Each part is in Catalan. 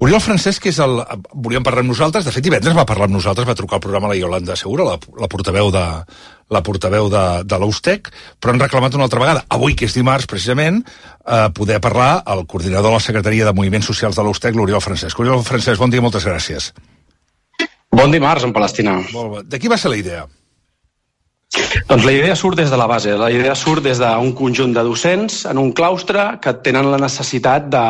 Oriol Francesc volíem parlar amb nosaltres, de fet divendres va parlar amb nosaltres, va trucar al programa la Iolanda Segura, la portaveu de l'Eustec, però han reclamat una altra vegada, avui que és dimarts precisament, poder parlar al coordinador de la Secretaria de Moviments Socials de l'Eustec, l'Oriol Francesc. Oriol Francesc, bon dia, moltes gràcies. Bon dimarts, en Palestina. Molt bé. De qui va ser la idea? Doncs la idea surt des de la base, la idea surt des d'un conjunt de docents en un claustre que tenen la necessitat de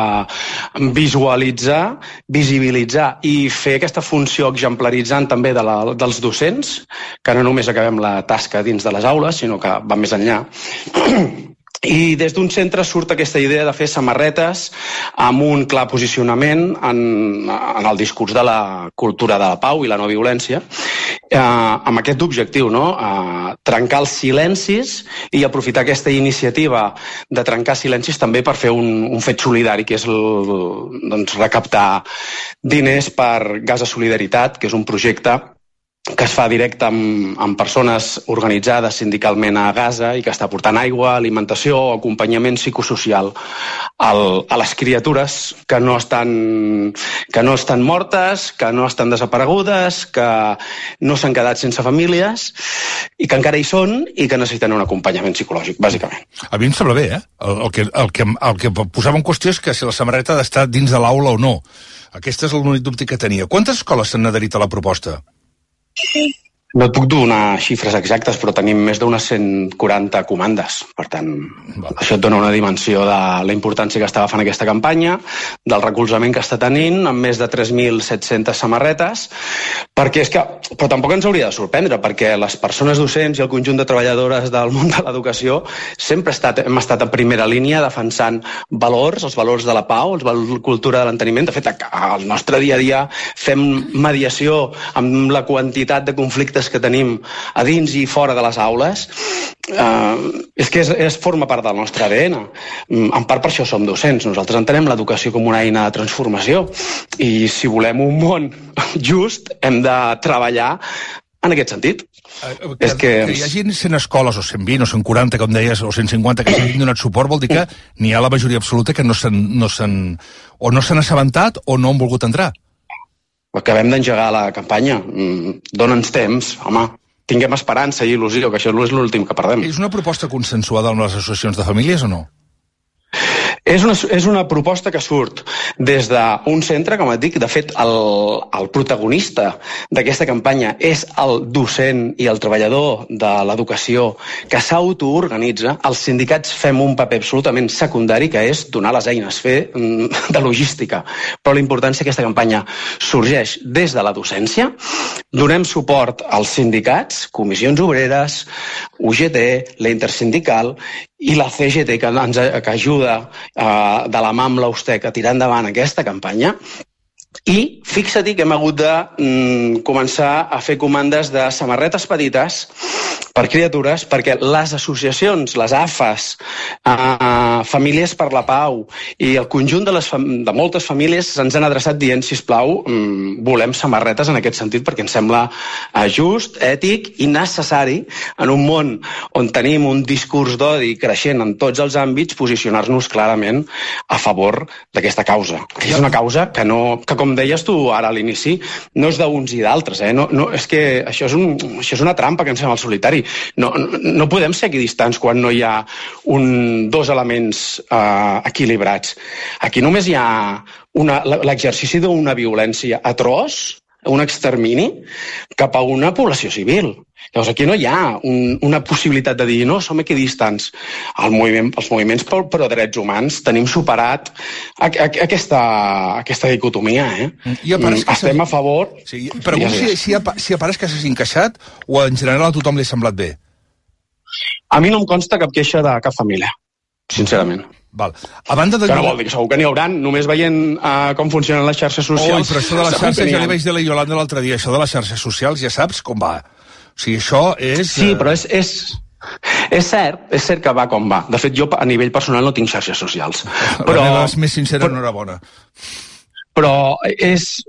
visualitzar, visibilitzar i fer aquesta funció exemplaritzant també dels docents, que no només acabem la tasca dins de les aules, sinó que va més enllà. I des d'un centre surt aquesta idea de fer samarretes amb un clar posicionament en el discurs de la cultura de la pau i la no violència, amb aquest objectiu, no? Trencar els silencis i aprofitar aquesta iniciativa de trencar silencis també per fer un fet solidari, que és recaptar diners per Gas de Solidaritat, que és un projecte que es fa directe amb persones organitzades sindicalment a Gaza i que està portant aigua, alimentació, acompanyament psicosocial a les criatures que no estan mortes, que no estan desaparegudes, que no s'han quedat sense famílies i que encara hi són i que necessiten un acompanyament psicològic, bàsicament. A mi em sembla bé, eh? El que posava en qüestió és que si la samarreta ha d'estar dins de l'aula o no. Aquest és l'únic dubte que tenia. Quantes escoles s'han adherit a la proposta? No et puc donar xifres exactes, però tenim més d'unes 140 comandes. Per tant, això et dona una dimensió de la importància que està agafant aquesta campanya, del recolzament que està tenint, amb més de 3.700 samarretes, perquè és que... Però tampoc ens hauria de sorprendre, perquè les persones docents i el conjunt de treballadores del món de l'educació sempre hem estat a primera línia defensant valors, els valors de la pau, la cultura de l'enteniment. De fet, al nostre dia a dia fem mediació amb la quantitat de conflictes que tenim a dins i fora de les aules, és que forma part del nostre ADN. En part per això som docents. Nosaltres entenem l'educació com una eina de transformació i si volem un món just hem de treballar en aquest sentit. Que hi hagi 100 escoles, o 120, o 140, com deies, o 150, que hagin donat suport, vol dir que n'hi ha la majoria absoluta que no s'han assabentat o no han volgut entrar. Acabem d'engegar la campanya. Dona'ns temps, home. Tinguem esperança i il·lusió, que això és l'últim que perdem. És una proposta consensuada amb les associacions de famílies o no? És una proposta que surt des d'un centre, com et dic. De fet, el protagonista d'aquesta campanya és el docent i el treballador de l'educació que s'autoorganitza. Els sindicats fem un paper absolutament secundari, que és donar les eines, fer de logística. Però la importància d'aquesta campanya sorgeix des de la docència. Donem suport als sindicats, comissions obreres, UGT, la Intersindical i la CGT, que ajuda de la mà amb l'Eustec a tirar endavant aquesta campanya. I fixa-t'hi que hem hagut de començar a fer comandes de samarretes petites per criatures, perquè les associacions, les AFAs, Famílies per la Pau i el conjunt de moltes famílies se'ns han adreçat dient, sisplau, volem samarretes en aquest sentit, perquè ens sembla just, ètic i necessari en un món on tenim un discurs d'odi creixent en tots els àmbits, posicionar-nos clarament a favor d'aquesta causa. És una causa que com deies tu ara a l'inici, no és d'uns i d'altres. És que això és una trampa que ens fem al solitari. No podem ser equidistants quan no hi ha dos elements equilibrats. Aquí només hi ha l'exercici d'una violència atroç, un extermini, cap a una població civil. Llavors aquí no hi ha una possibilitat de dir no, som equidistants. Els moviments pro drets humans tenim superat aquesta dicotomia. Estem a favor... Sí, pregunto si apareix que s'has encaixat o en general a tothom li ha semblat bé. A mi no em consta cap queixa de cap família, sincerament. Val. A banda de... Que no vol dir que segur que n'hi haurà, només veient com funcionen les xarxes socials. Però això de les xarxes, ja li vaig dir a la Iolanda l'altre dia, això de les xarxes socials ja saps com va. O sigui, això és... Sí, però és cert que va com va. De fet, jo a nivell personal no tinc xarxes socials. La meva és més sincera, enhorabona. Però és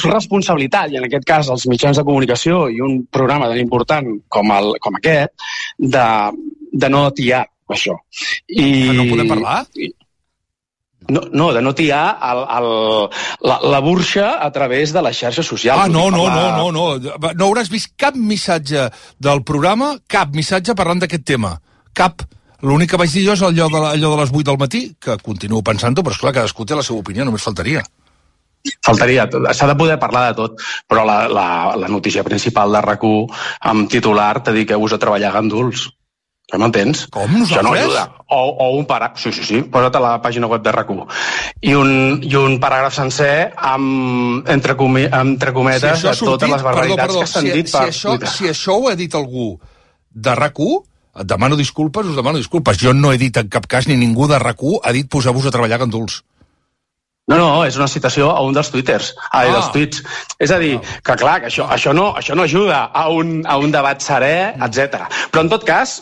responsabilitat, i en aquest cas els mitjans de comunicació i un programa tan important com aquest, de no atiar això. No podem parlar? No, de no tirar la burxa a través de les xarxes socials. No hauràs vist cap missatge del programa, cap missatge parlant d'aquest tema. Cap. L'únic que vaig dir jo és allò de les 8 del matí, que continuo pensant-ho, però esclar, cadascú té la seva opinió, només faltaria. Faltaria, s'ha de poder parlar de tot, però la notícia principal de RAC1 amb titular dediqueu-vos a treballar a Ganduls. Que m'entens? Com, nosaltres? Això no ajuda. O un paràgraf, sí, posa't a la pàgina web de RAC1. I un paràgraf sencer amb, entre cometes, de totes les barbaritats que s'han dit per Twitter. Si això ho ha dit algú de RAC1, us demano disculpes. Jo no he dit en cap cas, ni ningú de RAC1 ha dit posar-vos a treballar a Ganduls. No, és una citació a un dels tuits. És a dir, que clar, que això no ajuda a un debat serè, etc. Però en tot cas,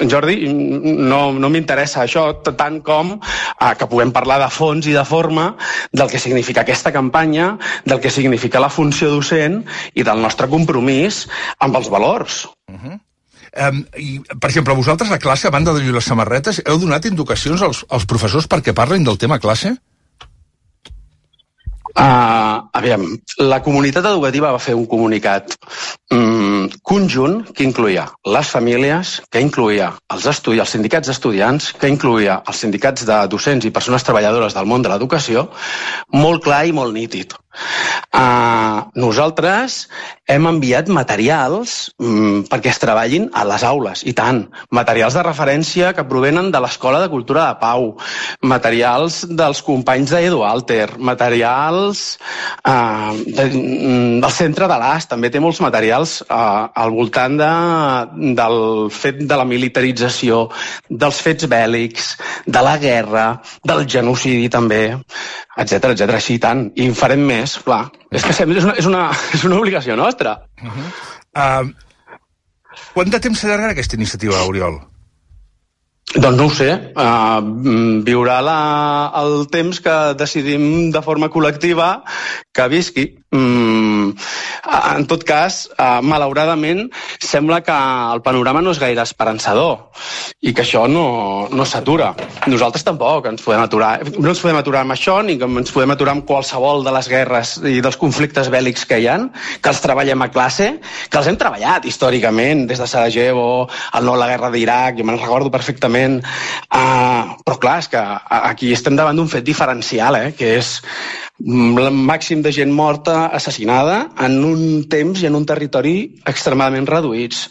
Jordi, no m'interessa això tant com que puguem parlar de fons i de forma del que significa aquesta campanya, del que significa la funció docent i del nostre compromís amb els valors. I, per exemple, vosaltres a classe, a banda de lluir les samarretes, heu donat indicacions als professors perquè parlin del tema classe? Aviam, la comunitat educativa va fer un comunicat conjunt que incloïa les famílies, que incloïa els sindicats d'estudiants, que incloïa els sindicats de docents i persones treballadores del món de l'educació, molt clar i molt nítid. Nosaltres hem enviat materials perquè es treballin a les aules, i tant. Materials de referència que provenen de l'Escola de Cultura de Pau, materials dels companys d'Edu Alter, materials del centre de l'AS, també té molts materials al voltant del fet de la militarització, dels fets bèl·lics, de la guerra, del genocidi també, etc. Així i tant. I en farem més, clar. És que és una obligació nostra. Quant de temps s'allargarà aquesta iniciativa, Oriol? Doncs no ho sé. Viurà el temps que decidim de forma col·lectiva que visqui. En tot cas, malauradament, sembla que el panorama no és gaire esperançador i que això no s'atura. Nosaltres tampoc ens podem aturar. No ens podem aturar amb això, ni ens podem aturar amb qualsevol de les guerres i dels conflictes bèl·lics que hi ha, que els treballem a classe, que els hem treballat històricament, des de Sarajevo, la guerra d'Iraq, jo me'n recordo perfectament. Però clar, és que aquí estem davant d'un fet diferencial, que és el màxim de gent morta, assassinada, en un temps i en un territori extremadament reduïts.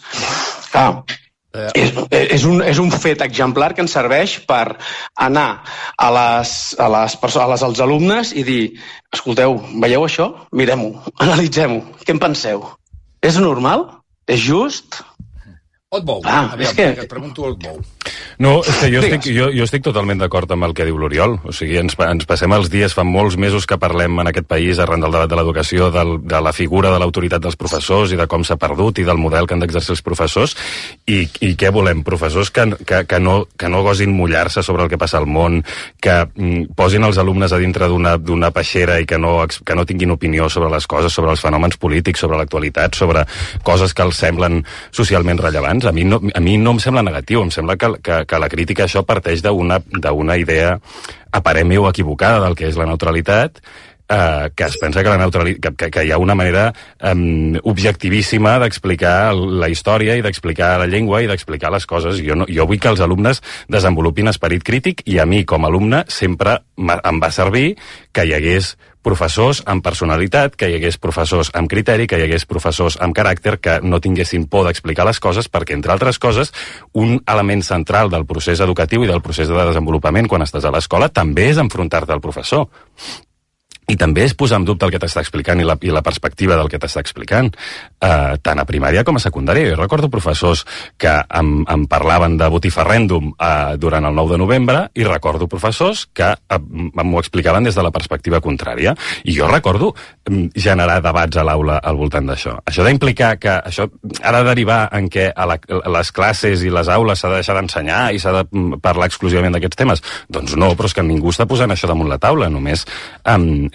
És un fet exemplar que ens serveix per anar als alumnes i dir: escolteu, veieu això? Mirem-ho, analitzem-ho, què en penseu? És normal? És just? O et mou? Et pregunto o et mou. No, és que jo estic totalment d'acord amb el que diu l'Oriol. O sigui, ens passem els dies, fa molts mesos que parlem en aquest país arran del debat de l'educació, de la figura de l'autoritat dels professors i de com s'ha perdut i del model que han d'exercir els professors. I què volem? Professors que no gosin mullar-se sobre el que passa al món, que posin els alumnes a dintre d'una peixera i que no tinguin opinió sobre les coses, sobre els fenòmens polítics, sobre l'actualitat, sobre coses que els semblen socialment rellevants. A mi no em sembla negatiu, em sembla que la crítica a això parteix d'una idea aparent o equivocada del que és la neutralitat, que es pensa que hi ha una manera objectivíssima d'explicar la història i d'explicar la llengua i d'explicar les coses. Jo vull que els alumnes desenvolupin esperit crític i a mi, com a alumne, sempre em va servir que hi hagués professors amb personalitat, que hi hagués professors amb criteri, que hi hagués professors amb caràcter, que no tinguessin por d'explicar les coses, perquè, entre altres coses, un element central del procés educatiu i del procés de desenvolupament quan estàs a l'escola també és enfrontar-te al professor. I també és posar en dubte el que t'està explicant i la perspectiva del que t'està explicant, tant a primària com a secundària. Jo recordo professors que em parlaven de botifarrèndum durant el 9 de novembre i recordo professors que m'ho explicaven des de la perspectiva contrària. I jo recordo generar debats a l'aula al voltant d'això. Això d'implicar que això ha de derivar en què a les classes i les aules s'ha de deixar d'ensenyar i s'ha de parlar exclusivament d'aquests temes. Doncs no, però és que ningú està posant això damunt la taula,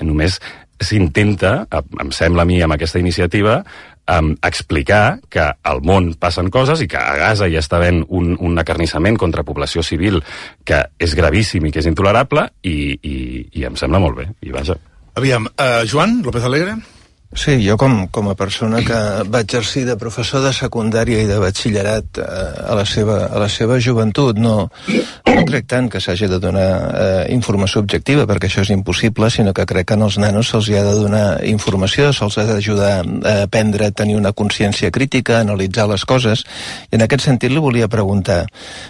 només s'intenta, em sembla a mi amb aquesta iniciativa, explicar que al món passen coses i que a Gaza hi està havent un acarnissament contra població civil que és gravíssim i que és intolerable i em sembla molt bé, i vaja. Aviam, Joan López Alegre? Sí, jo com a persona que va exercir de professor de secundària i de batxillerat a la seva joventut, no crec tant que s'hagi de donar informació objectiva, perquè això és impossible, sinó que crec que als nanos se'ls ha de donar informació, se'ls ha d'ajudar a aprendre a tenir una consciència crítica, a analitzar les coses, i en aquest sentit li volia preguntar,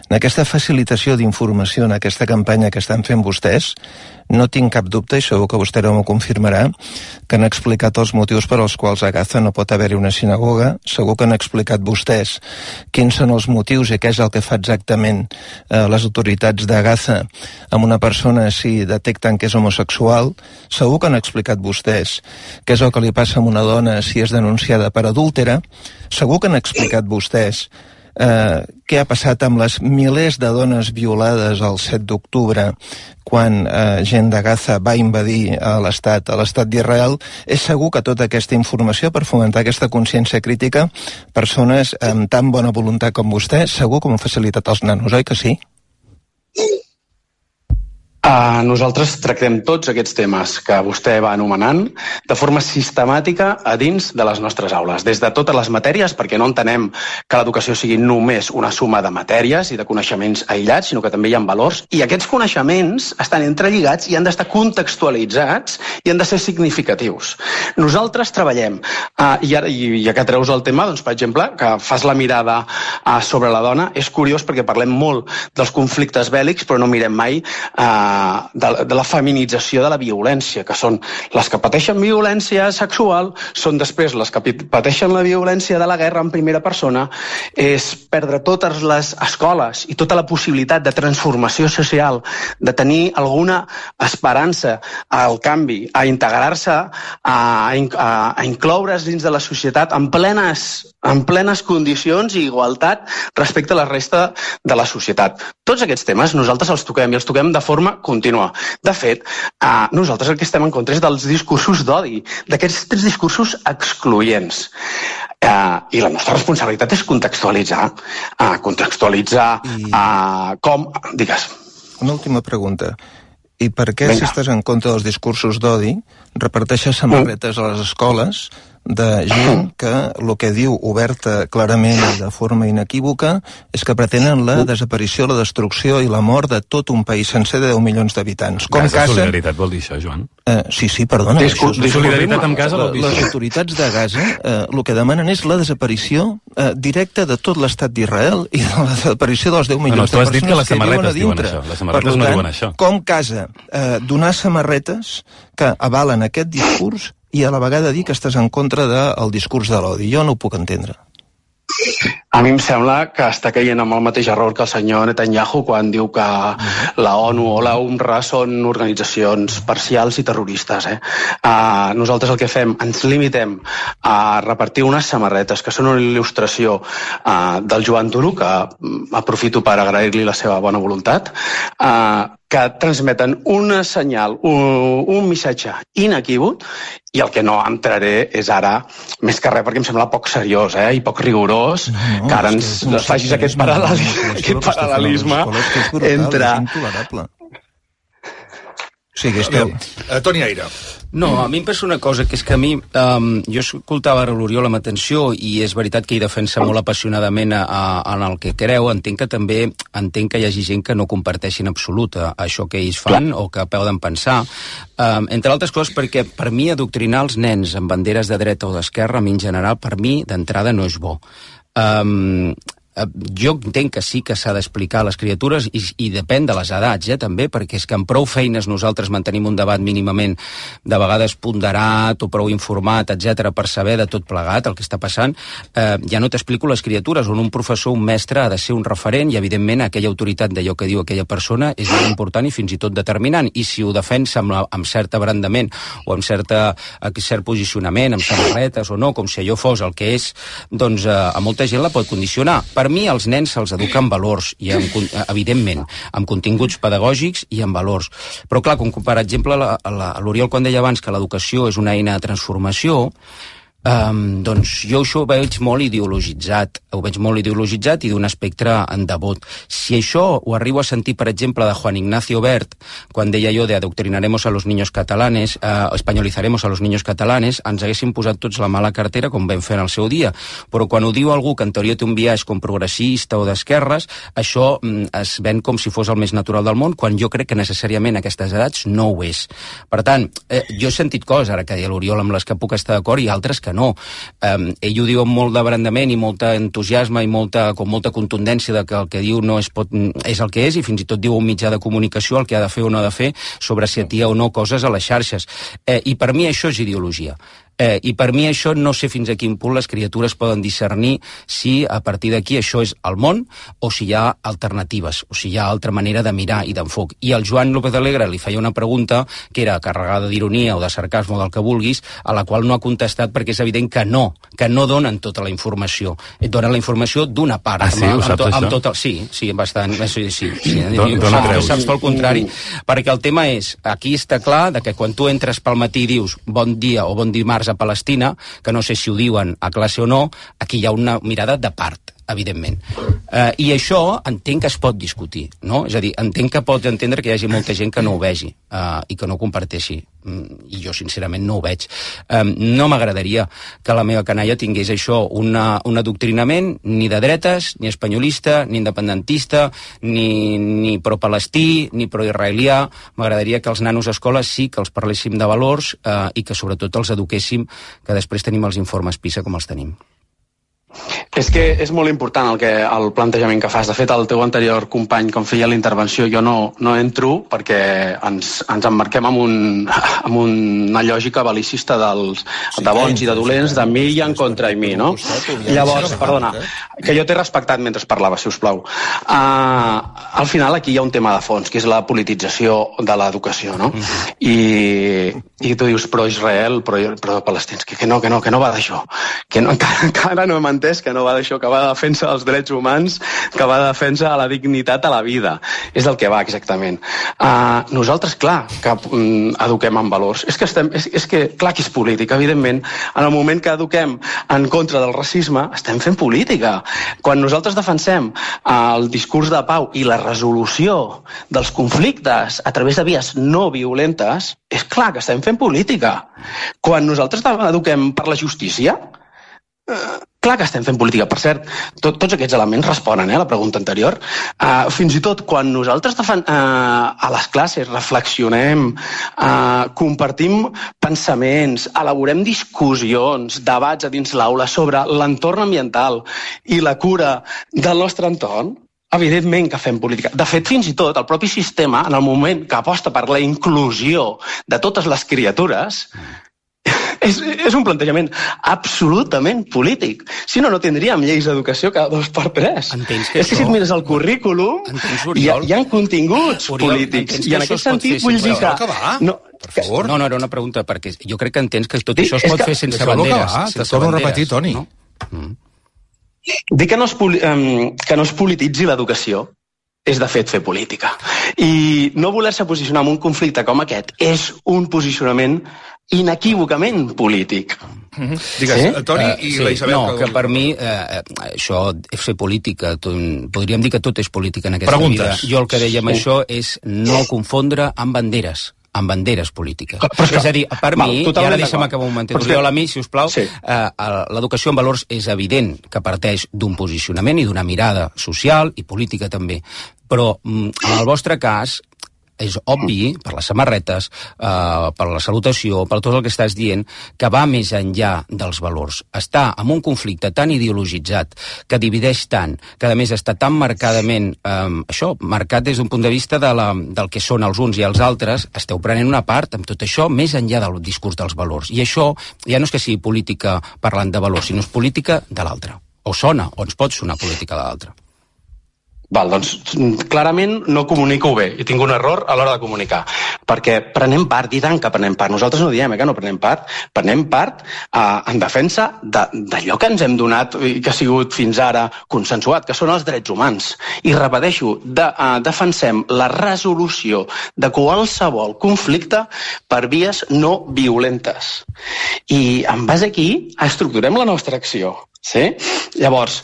en aquesta facilitació d'informació, en aquesta campanya que estan fent vostès, no tinc cap dubte, i segur que vostè m'ho confirmarà, que han explicat els motius per als quals a Gaza no pot haver-hi una sinagoga. Segur que han explicat vostès quins són els motius i què és el que fa exactament les autoritats de Gaza amb una persona si detecten que és homosexual. Segur que han explicat vostès què és el que li passa a una dona si és denunciada per adúltera. Segur que han explicat vostès què ha passat amb les milers de dones violades el 7 d'octubre quan gent de Gaza va invadir l'estat d'Israel. És segur que tota aquesta informació per fomentar aquesta consciència crítica, persones amb tan bona voluntat com vostè, segur que m'ho ha facilitat als nanos, oi que sí? Nosaltres tractem tots aquests temes que vostè va anomenant de forma sistemàtica a dins de les nostres aules, des de totes les matèries, perquè no entenem que l'educació sigui només una suma de matèries i de coneixements aïllats, sinó que també hi ha valors, i aquests coneixements estan entrelligats i han d'estar contextualitzats i han de ser significatius. Nosaltres treballem, ja que treus el tema, doncs, per exemple, que fas la mirada sobre la dona, és curiós perquè parlem molt dels conflictes bèl·lics, però no mirem mai de la feminització de la violència, que són les que pateixen violència sexual, són després les que pateixen la violència de la guerra en primera persona, és perdre totes les escoles i tota la possibilitat de transformació social, de tenir alguna esperança al canvi, a integrar-se, a incloure's dins de la societat en plenes condicions i igualtat respecte a la resta de la societat. Tots aquests temes nosaltres els toquem i els toquem de forma contínua. De fet, nosaltres el que estem en contra és dels discursos d'odi, d'aquests discursos excloents. I la nostra responsabilitat és contextualitzar com... Digues. Una última pregunta. I per què, si estàs en contra dels discursos d'odi, reparteixes samarretes a les escoles de gent que el que diu oberta clarament i de forma inequívoca és que pretenen la desaparició, la destrucció i la mort de tot un país sencer de 10 milions d'habitants. Gaza Solidaritat vol dir això, Joan? Sí, perdona. Solidaritat amb Gaza vol dir això. Les autoritats de Gaza el que demanen és la desaparició directa de tot l'estat d'Israel i de la desaparició dels 10 milions de persones que viuen a dintre. Les samarretes diuen això. Les samarretes no diuen això. Com Gaza donar samarretes que avalen aquest discurs i a la vegada dir que estàs en contra del discurs de l'odi. Jo no ho puc entendre. A mi em sembla que està caient amb el mateix error que el senyor Netanyahu quan diu que la ONU o la UNRWA són organitzacions parcials i terroristes. Nosaltres el que fem, ens limitem a repartir unes samarretes que són una il·lustració del Joan Duro, que aprofito per agrair-li la seva bona voluntat, que transmeten un senyal, un missatge inequívoc, i el que no entraré és ara, més que res, perquè em sembla poc seriós i poc rigorós, que ara ens facis aquest paral·lelisme entre... Sí, que esteu... Toni Aire. No, a mi em passa una cosa, que és que a mi, jo escoltava l'Oriol amb atenció i és veritat que ell defensa molt apassionadament en el que creu. Entenc que hi hagi gent que no comparteixi en absolut això que ells fan o que poden pensar. Entre altres coses perquè per mi adoctrinar els nens amb banderes de dreta o d'esquerra, a mi en general, per mi d'entrada no és bo. Jo entenc que sí que s'ha d'explicar a les criatures i depèn de les edats, també, perquè és que amb prou feines nosaltres mantenim un debat mínimament de vegades ponderat o prou informat, etc, per saber de tot plegat el que està passant. Ja no t'explico les criatures, on un professor, un mestre ha de ser un referent i evidentment aquella autoritat d'allò que diu aquella persona és molt important i fins i tot determinant, i si ho defensa amb cert abrandament o amb cert posicionament, amb samarretes o no, com si allò fos el que és, doncs a molta gent la pot condicionar. Per mi, els nens se'ls educa amb valors, i evidentment, amb continguts pedagògics i amb valors. Però, clar, com per exemple l'Oriol quan deia abans que l'educació és una eina de transformació, Doncs jo això ho veig molt ideologitzat, i d'un espectre en devot. Si això ho arribo a sentir, per exemple, de Juan Ignacio Bert, quan deia jo de adoctrinaremos a los niños catalanes, españolizaremos a los niños catalanes, ens haguéssim posat tots la mala cartera com vam fer en el seu dia. Però quan ho diu algú que en teoria té un biaix com progressista o d'esquerres, això es ven com si fos el més natural del món, quan jo crec que necessàriament a aquestes edats no ho és. Per tant, jo he sentit coses, ara que deia l'Oriol, amb les que puc estar d'acord, i altres que no. Ell ho diu amb molt d'abrandament i molt entusiasme i com molta contundència de que el que diu no és el que és, i fins i tot diu un mitjà de comunicació el que ha de fer o no ha de fer sobre si atia o no coses a les xarxes. I per mi això és ideologia. I per mi això no sé fins a quin punt les criatures poden discernir si a partir d'aquí això és el món o si hi ha alternatives, o si hi ha altra manera de mirar i d'enfoc. I el Joan López Alegre li feia una pregunta que era carregada d'ironia o de sarcasme o del que vulguis, a la qual no ha contestat perquè és evident que no donen tota la informació. Donen la informació d'una part. Sí, ho saps, això? Sí, bastant. Sí. Saps pel contrari. Perquè el tema és, aquí està clar que quan tu entres pel matí i dius bon dia o bon dimarts a Palestina, que no sé si ho diuen a classe o no, aquí hi ha una mirada de part, evidentment. I això entenc que es pot discutir, no? És a dir, entenc que pots entendre que hi hagi molta gent que no ho vegi i que no ho comparteixi. I jo, sincerament, no ho veig. No m'agradaria que la meva canalla tingués això, un adoctrinament ni de dretes, ni espanyolista, ni independentista, ni pro-palestí, ni pro-israelià. M'agradaria que els nanos a escola sí que els parléssim de valors i que sobretot els eduquéssim, que després tenim els informes PISA com els tenim. És que és molt important el plantejament que fas. De fet, el teu anterior company, com feia la intervenció, jo no entro perquè ens emmarquem amb una lògica bel·licista de bons i de dolents, de mi i en contra i mi, no? Llavors, perdona, que jo t'he respectat mentre parlava, si us plau. Al final aquí hi ha un tema de fons, que és la politització de l'educació, no? I tu dius pro-Israel, pro-palestins, que no va d'això. Que encara no hem entès que no va d'això, que va de defensa dels drets humans, que va de defensa a la dignitat a la vida. És del que va, exactament. Nosaltres, clar, que eduquem en valors. És que clar que és política, evidentment. En el moment que eduquem en contra del racisme, estem fent política. Quan nosaltres defensem el discurs de pau i la resolució dels conflictes a través de vies no violentes, és clar que estem fent política. Quan nosaltres eduquem per la justícia, clar que estem fent política. Per cert, tots aquests elements responen a la pregunta anterior. Fins i tot quan nosaltres a les classes reflexionem, compartim pensaments, elaborem discussions, debats a dins l'aula sobre l'entorn ambiental i la cura del nostre entorn, evidentment que fem política. De fet, fins i tot el propi sistema, en el moment que aposta per la inclusió de totes les criatures, és un plantejament absolutament polític. Si no tindríem lleis d'educació cada 2x3. És que si et mires el currículum, hi ha continguts polítics. I en aquest sentit vull dir que... Per favor. No, era una pregunta, perquè jo crec que entens que tot això es pot fer sense banderes. Te torno a repetir, Toni. Dir que no es polititzi l'educació és, de fet, fer política. I no voler-se posicionar en un conflicte com aquest és un posicionament inequívocament polític. Digues, Toni i la Isabel... No, que per mi això és fer política. Podríem dir que tot és política en aquesta vida. Jo el que deia amb això és no confondre amb banderes polítiques. És a dir, per mi, i ara deixa'm acabar un momentet, Oriol, a mi, si us plau, l'educació en valors és evident que parteix d'un posicionament i d'una mirada social i política també. Però, en el vostre cas, és obvi, per les samarretes, per la salutació, per tot el que estàs dient, que va més enllà dels valors. Està en un conflicte tan ideologitzat, que divideix tant, que a més està tan marcadament, marcat des d'un punt de vista del que són els uns i els altres, esteu prenent una part amb tot això més enllà del discurs dels valors. I això ja no és que sigui política parlant de valors, sinó és política de l'altre. O sona, o ens pot sonar política de l'altre. Val, doncs clarament no comunico bé i tinc un error a l'hora de comunicar, perquè prenem part, i tant que prenem part. Nosaltres no diem que no prenem part en defensa d'allò que ens hem donat i que ha sigut fins ara consensuat, que són els drets humans. I repeteixo, defensem la resolució de qualsevol conflicte per vies no violentes. I en base aquí estructurem la nostra acció. Sí? Llavors,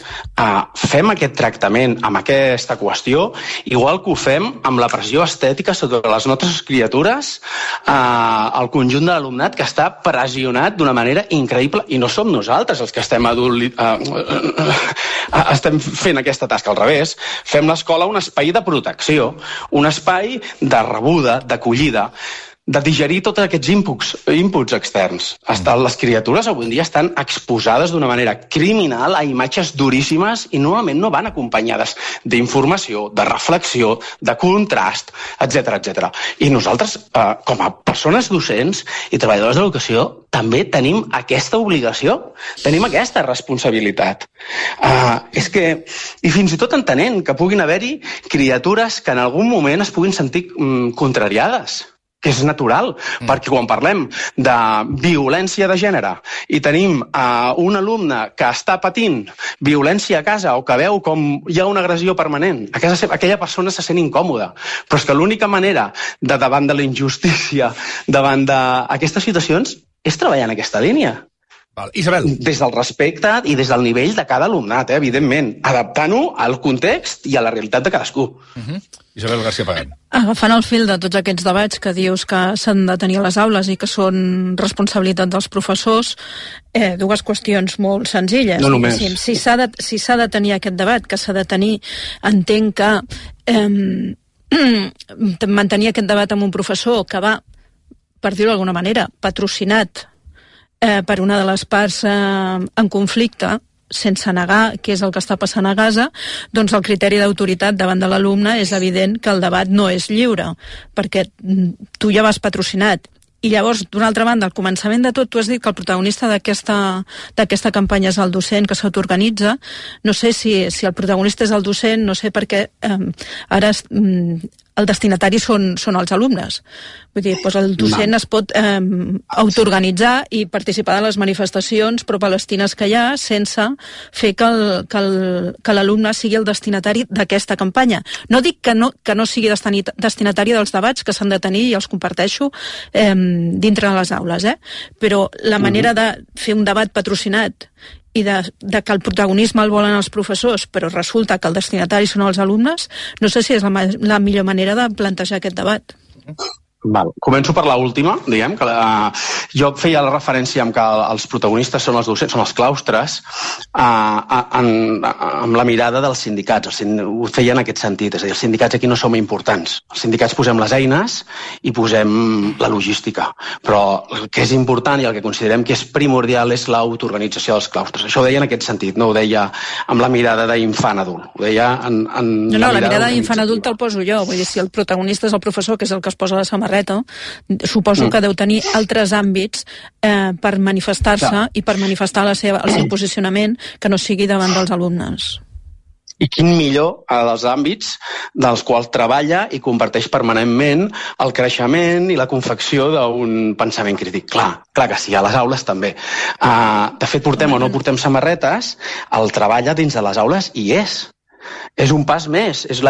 fem aquest tractament amb aquesta qüestió, igual que ho fem amb la pressió estètica sobre les nostres criatures, el conjunt de l'alumnat que està pressionat d'una manera increïble, i no som nosaltres els que estem fent aquesta tasca, al revés. Fem l'escola un espai de protecció, un espai de rebuda, d'acollida, de digerir tots aquests inputs externs. Les criatures avui en dia estan exposades d'una manera criminal a imatges duríssimes i normalment no van acompanyades d'informació, de reflexió, de contrast, etc. I nosaltres, com a persones docents i treballadors de l'educació, també tenim aquesta obligació, tenim aquesta responsabilitat. I fins i tot entenent que puguin haver-hi criatures que en algun moment es puguin sentir contrariades, que és natural, perquè quan parlem de violència de gènere i tenim un alumne que està patint violència a casa o que veu com hi ha una agressió permanent, a casa seva, aquella persona se sent incòmoda, però és que l'única manera davant de la injustícia, davant d'aquestes situacions, és treballar en aquesta línia. Isabel. Des del respecte i des del nivell de cada alumnat, evidentment, adaptant-ho al context i a la realitat de cadascú. Isabel García Pagán. Agafant el fil de tots aquests debats que dius que s'han de tenir a les aules i que són responsabilitat dels professors, dues qüestions molt senzilles. No només. Si s'ha de tenir aquest debat, que s'ha de tenir, entenc que mantenir aquest debat amb un professor que va, per dir-ho d'alguna manera, patrocinat per una de les parts en conflicte, sense negar què és el que està passant a Gaza, doncs el criteri d'autoritat davant de l'alumne és evident que el debat no és lliure, perquè tu ja vas patrocinat. I llavors, d'una altra banda, al començament de tot, tu has dit que el protagonista d'aquesta campanya és el docent que s'autoorganitza. No sé si el protagonista és el docent, no sé per què ara el destinatari són els alumnes. Vull dir, doncs el docent es pot autoorganitzar i participar de les manifestacions pro-palestines que hi ha sense fer que l'alumne sigui el destinatari d'aquesta campanya. No dic que no sigui destinatari dels debats que s'han de tenir i els comparteixo dintre de les aules, però la manera de fer un debat patrocinat i de que el protagonisme el volen els professors, però resulta que el destinatari són els alumnes, no sé si és la millor manera de plantejar aquest debat. Val. Començo per l'última, diguem, que jo feia la referència amb que els protagonistes són els docents, són els claustres, amb la mirada dels sindicats. Ho feia en aquest sentit, és a dir, els sindicats aquí no som importants. Els sindicats posem les eines i posem la logística, però el que és important i el que considerem que és primordial és l'autoorganització dels claustres. Això ho deia en aquest sentit, no ho deia amb la mirada d'infant adult, ho deia la mirada d'infant adult te'l poso jo, vull dir, si el protagonista és el professor, que és el que es posa la samarreta, suposo que deu tenir altres àmbits per manifestar-se i per manifestar el seu posicionament que no sigui davant dels alumnes. I quin millor dels àmbits dels quals treballa i comparteix permanentment el creixement i la confecció d'un pensament crític. Clar que sí, a les aules també. De fet, portem o no portem samarretes, el treball dins de les aules hi és. És un pas més, és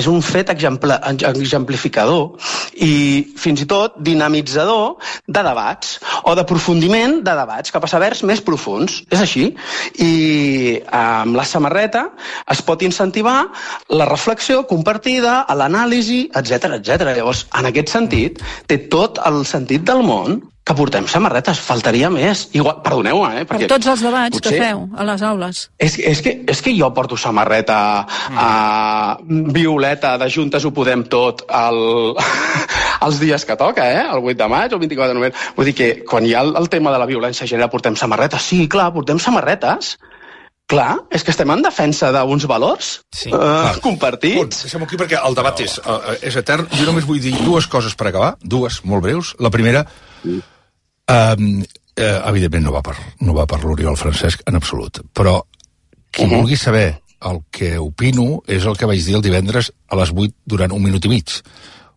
un fet exemplificador i fins i tot dinamitzador de debats o d'aprofundiment de debats cap a sabers més profuns. És així. I amb la samarreta es pot incentivar la reflexió compartida, l'anàlisi, etc. Llavors, en aquest sentit, té tot el sentit del món que portem samarretes, faltaria més. Igual, perdoneu-me, per tots els debats que feu a les aules. És que jo porto samarreta violeta de Juntes ho podem tot els dies que toca, el 8 de maig o el 24 de novembre. Vull dir que quan hi ha el tema de la violència de gènere portem samarretes. Sí, clar, portem samarretes. Clar, és que estem en defensa d'uns valors compartits. Deixem-ho aquí perquè el debat és etern. Jo només vull dir dues coses per acabar, dues molt breus. La primera, evidentment no va per l'Oriol Francesc en absolut, però qui vulgui saber el que opino és el que vaig dir el divendres a les 8 durant 1 minut i mig.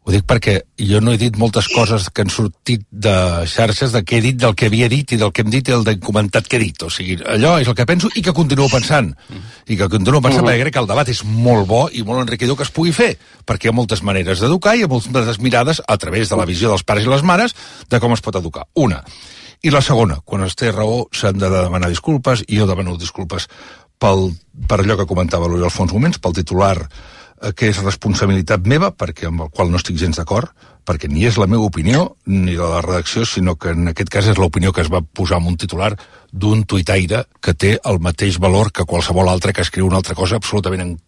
Ho dic perquè jo no he dit moltes coses que han sortit de xarxes de què he dit, del que havia dit i del que hem dit i el comentat que he dit. O sigui, allò és el que penso i que continuo pensant. I que continuo pensant perquè crec que el debat és molt bo i molt enriquidor que es pugui fer, perquè hi ha moltes maneres d'educar i hi ha moltes mirades a través de la visió dels pares i les mares de com es pot educar. Una. I la segona, quan es té raó s'han de demanar disculpes i jo demano disculpes per allò que comentava l'Oriol fa uns moments, pel titular que és responsabilitat meva, perquè amb el qual no estic gens d'acord, perquè ni és la meva opinió ni de la redacció, sinó que en aquest cas és l'opinió que es va posar en un titular d'un tuitaire que té el mateix valor que qualsevol altre que escriu una altra cosa absolutament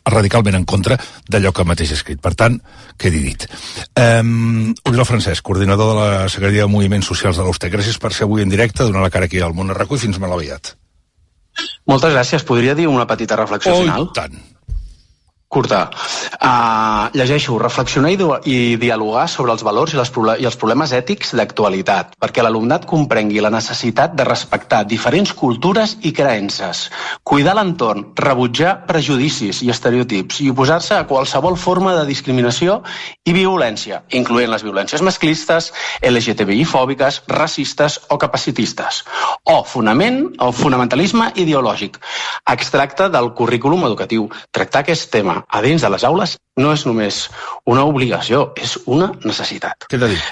radicalment en contra d'allò que mateix ha escrit. Per tant, quedi dit. Oriol Francesc, coordinador de la Secretaria de Moviments Socials de l'USTEC. Gràcies per ser avui en directe, donar la cara aquí al Món a RAC1 i fins molt aviat. Moltes gràcies. Podria dir una petita reflexió final? Tant. Curta. Llegeixo, reflexionar i dialogar sobre els valors i els problemes ètics d'actualitat, perquè l'alumnat comprengui la necessitat de respectar diferents cultures i creences, cuidar l'entorn, rebutjar prejudicis i estereotips i oposar-se a qualsevol forma de discriminació i violència, incloent les violències masclistes, LGTBI-fòbiques, racistes o capacitistes, o fonamentalisme ideològic, extracte del currículum educatiu. Tractar aquest tema a dins de les aules no és només una obligació, és una necessitat. Què t'ha dit?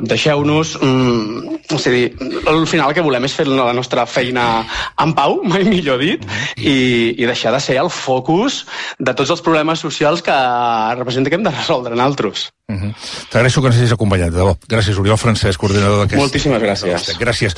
Deixeu-nos... al final el que volem és fer la nostra feina en pau, mai millor dit, i deixar de ser el focus de tots els problemes socials que representa que hem de resoldre nosaltres. T'agraeixo que ens hagis acompanyat, de debò. Gràcies, Oriol Francesc, coordinador d'aquest... Moltíssimes gràcies. Gràcies.